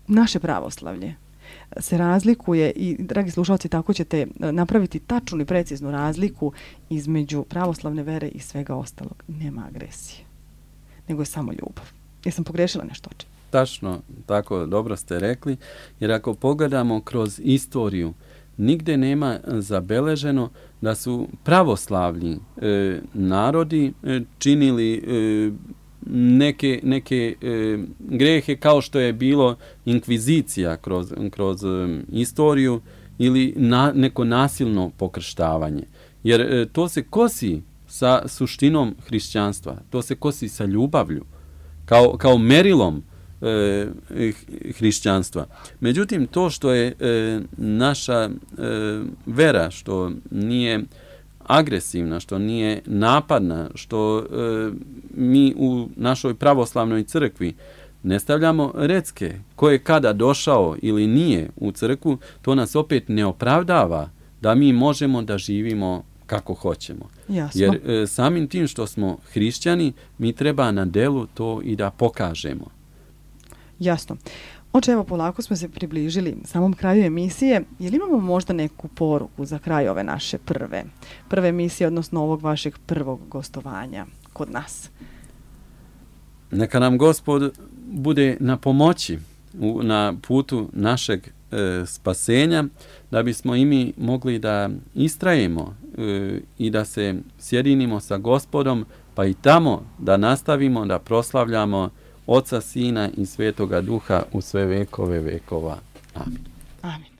naše pravoslavlje se razlikuje i, dragi slušalci, tako ćete napraviti tačnu i preciznu razliku između pravoslavne vere i svega ostalog. Nema agresije, nego je samo ljubav. Jesam pogrešila nešto? Tačno, tako dobro ste rekli, jer ako pogledamo kroz istoriju, nigde nema zabeleženo da su pravoslavni narodi činili neke grehe kao što je bilo inkvizicija kroz istoriju ili neko nasilno pokrštavanje. Jer to se kosi sa suštinom hrišćanstva, to se kosi sa ljubavlju, kao merilom hrišćanstva. Međutim, to što je naša vera, što nije agresivna, što nije napadna, što mi u našoj pravoslavnoj crkvi ne stavljamo recke ko je kada došao ili nije u crkvu, to nas opet ne opravdava da mi možemo da živimo kako hoćemo. Jasno. Jer samim tim što smo hrišćani, mi treba na delu to i da pokažemo. Jasno. Oče, evo polako smo se približili samom kraju emisije. Je li imamo možda neku poruku za kraj ove naše prve emisije, odnosno ovog vašeg prvog gostovanja kod nas? Neka nam Gospod bude na pomoći na putu našeg spasenja, da bismo i mi mogli da istrajemo i da se sjedinimo sa Gospodom, pa i tamo da nastavimo da proslavljamo Oca, Sina i Svetoga Duha u sve vekove vekova. Amin. Amin.